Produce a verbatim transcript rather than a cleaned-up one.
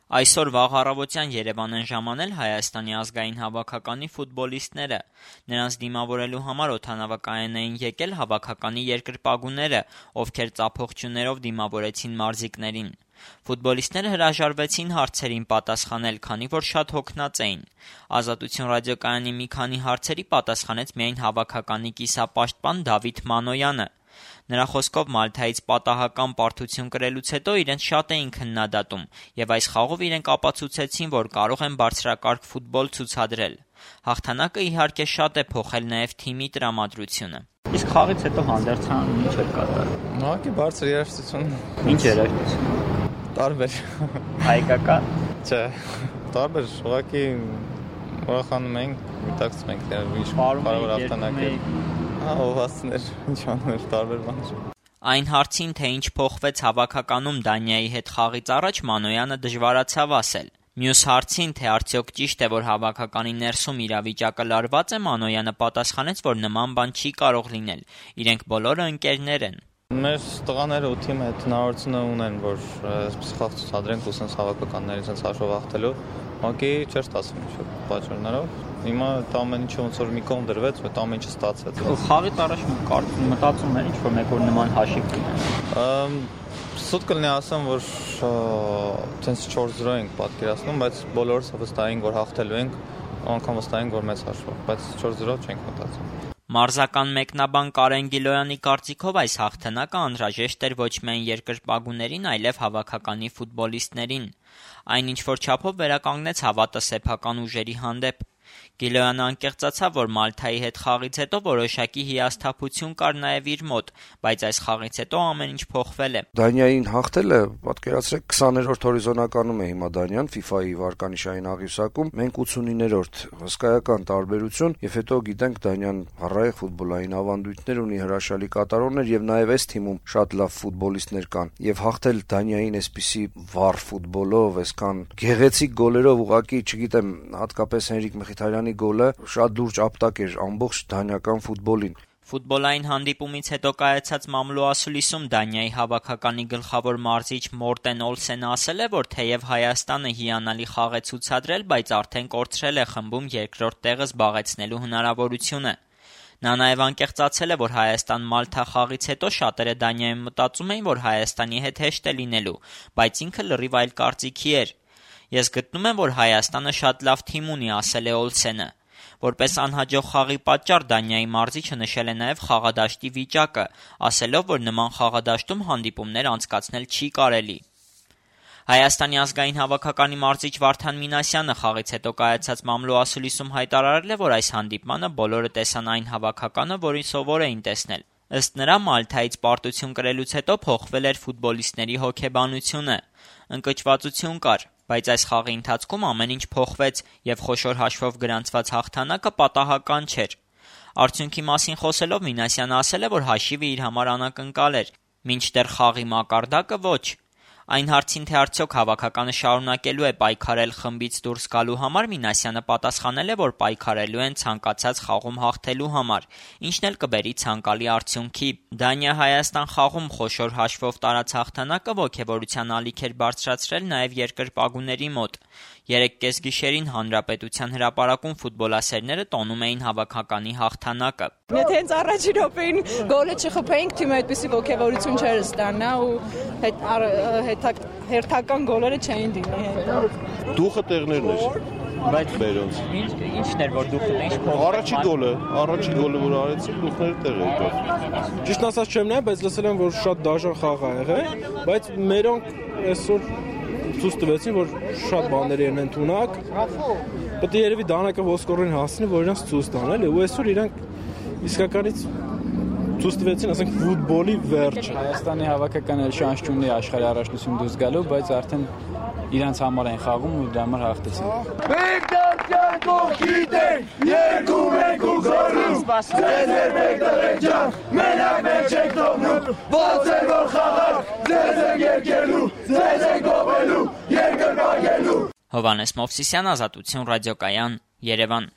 Այսօր վաղ առավոտյան Երևան են ժամանել Հայաստանի ազգային հավաքականի ֆուտբոլիստները։ Նրանց դիմավորելու համար օդանավակայան էին եկել հավաքականի երկրպագուները, ովքեր ծափողջույներով դիմավորեցին մարզիկներին։ Ֆուտբոլիստները հրաժարվեցին հարցերին պատասխանել, քանի որ շատ հոգնած էին։ Ազատություն ռադիոկայանի մի քանի հարցերի պատասխանեց միայն հավաքականի կիսապաշտպան Դավիթ Մանոյանը։ Նրա խոսքով Մալթայից պատահական պարտություն կրելուց հետո իրենց շատ էին քննադատում, եւ այս խաղով իրենք ապացուցեցին, որ կարող են բարձրակարգ ֆուտբոլ ցուցադրել։ Հաղթանակը իհարկե շատ է փոխել նաեւ թիմի տրամադրությունը։ Իսկ խաղից հետո հանդերձան ինչ էր կատարել։ Ուղղակի բարձր երաժշտություն։ Ինչ երաժշտություն։ Տարբեր։ Հայկական։ Չէ, տարբեր, ուղղակի ուրախանում ենք, միտակցում ենք, ինչ կարող հաղթանակել։ Ովասներ, ինչ անել, տարբեր բաներ։ Այն հարցին, թե ինչ փոխվեց հավաքականում Դանիայի հետ խաղից առաջ, Մանոյանը դժվարացավ ասել։ Մյուս հարցին, թե արդյոք ճիշտ է, որ հավաքականի ներսում իրավիճակը լարված է, Մանոյանը պատասխանեց, որ նման բան չի կարող լինել։ Իրենք բոլորը ընկերներ են։ Մեր տղաները ու թիմը հնարավորությունը ունեն, որ այսպես խաղ ցուցադրենք ու sense հավաքականների sense հաշվով հաղթելու, ուղղակի չէր ստացվում ինչ-որ պատճառներով։ Հիմա դա ամեն ինչը ոնց որ մի կողմ դրվեց, այդ ամեն ինչը ստացվեց։ Խաղից առաջ կարծում մտածում էր ինչ-որ մեկ օր նման հաշիվ կունենա։ Սուտ կլինի ասեմ, որ sense չորս զրո ենք պատկերացնում, բայց բոլորս վստահ ենք, որ հաղթելու ենք, անգամ վստահ ենք, որ մեծ հաշվով, բայց չորս զրո չենք մտածում։ Մարզական մեկնաբան Կարեն Գիլոյանի կարծիքով այս հաղթանակը անհրաժեշտ էր ոչ միայն երկրպագուներին, այլև հավաքականի ֆուտբոլիստներին։ Այն ինչ-որ չափով վերականգնեց հավատը սեփական ուժերի հանդեպ։ Գիլոյանը անկեղծացավ, որ Մալթայի հետ խաղից հետո որոշակի հիասթափություն կար նաև իր մոտ, բայց այս խաղից հետո ամեն ինչ փոխվել է։ Դանիային հաղթելը, պատկերացրեք, քսաներորդ հորիզոնականում է հիմա Դանիան ֆիֆայի վարկանիշային աղյուսակում, մենք ութսունիններորդ, հսկայական տարբերություն, եւ հետո գիտենք Դանիան առայժմ ֆուտբոլային ավանդույթներ ունի, հրաշալի կատարողներ եւ նաեւ այս թիմում շատ լավ ֆուտբոլիստներ կան։ Եվ հաղթել Դանիային այսպիսի վառ ֆուտբոլով, այսքան գեղեցիկ գոլերով, ուղղակի, չգիտեմ, հատկապես Հենրիկ Մխիթարյանի գոլը շատ լուրջ ապտակ էր ամբողջ դանիական ֆուտբոլին։ Ֆուտբոլային հանդիպումից հետո կայացած մամլո ասուլիսում Դանիայի հավաքականի գլխավոր մարզիչ Մորտեն Օլսենը ասել է, որ թեև Հայաստանը հիանալի խաղ է ցուցադրել, բայց արդեն կորցրել է խմբում երկրորդ տեղը զբաղեցնելու հնարավորությունը։ Նա նաև անկեղծացել է, որ Հայաստան-Մալթա խաղից հետո շատերը Դանիայում մտածում էին, որ Հայաստանի հետ հեշտ է լինելու, բայց ինքը լրիվ այլ կարծիքի էր։ Ես գտնում եմ, որ Հայաստանը շատ լավ թիմ ունի, ասել է Օլսենը։ Որպես անհաջող խաղի պատճառ Դանիայի մարզիչը նշել է նաև խաղադաշտի վիճակը, ասելով, որ նման խաղադաշտում հանդիպումներ անցկացնել չի կարելի։ Հայաստանի ազգային հավաքականի մարզիչ Վարդան Մինասյանը խաղից հետո կայացած մամլո ասուլիսում հայտարարել է, որ այս հանդիպմանը բոլորը տեսան այն հավաքականը, որին սովոր էին տեսնել։ Ըստ նրա, Մալթայից պարտություն կրելուց հետո փոխվել էր ֆուտբոլիստների հոգեբանությունը։ Ընկճվածություն կար, բայց այս խաղի ընթացքում ամեն ինչ փոխվեց եւ խոշոր հաշվով գրանցված հաղթանակը պատահական չէր։ Արդյունքի մասին խոսելով Մինասյանը ասել է, որ հաշիվը իր համար անակնկալ էր, մինչդեռ խաղի մակարդակը ոչ։ Այն հարցին, թե արդյոք հավաքականը շարունակելու է պայքարել խմբից դուրս գալու համար, Մինասյանը պատասխանել է, որ պայքարելու են ցանկացած խաղում հաղթելու համար, ինչն էլ կբերի ցանկալի արդյունքի։ Դանիա-Հայաստան խաղում խոշոր հաշվով տարած հաղթանակը ոգևորության ալիք էր բարձրացրել նաև երկրպագուների մոտ։ Երեկ կեսգիշերին Հանրապետության հրապարակում ֆուտբոլասերները տոնում էին հավաքականի հաղթանակը։ Եթե հենց առաջին րոպեին գոլը չխփեինք, թիմը այդպիսի ոգևորություն չէր ստանա ու հերթական գոլերը չէին դիմի։ Դուխը տեղներն էր։ Բայց բերոնց։ Ինչ ինչն էր որ դուխը ինչ փոխ։ Առաջին գոլը, առաջին գոլը որ արեցին, դուխները տեղ եկան։ Ճիշտ ասած չեմ նայ, բայց լսել եմ, որ շատ դաժան խաղ ա եղել, բայց մերոնք այսօր ցույց տվեցին, որ շատ բաներ են ընդունակ։ Պետք է երևի դանակը ոսկորին հասնի, որ իրանց ցույց տան, էլի, ու այսօր իրանք իսկականից ցույց տվեցին, ասենք, ֆուտբոլի վերջ։ Հայաստանի հավաքականը շանս չունի աշխարհի առաջնություն դուրս գալու, բայց արդեն իրանց համար են խաղում ու դրա համար հաղթեցին։ Մենք դարձյալ գիտենք, երկու մենք ու գորում, ձեզ էր մեկ դղեջան, մենակ մեկ չեք թողնում, ոնց էր որ խաղար, ձեզ ենք երկելու, ձեզ ենք գովելու, երկրպագելու։ Հովհաննես Մովսիսյան, Ազատություն ռադիոկայան, Երևան։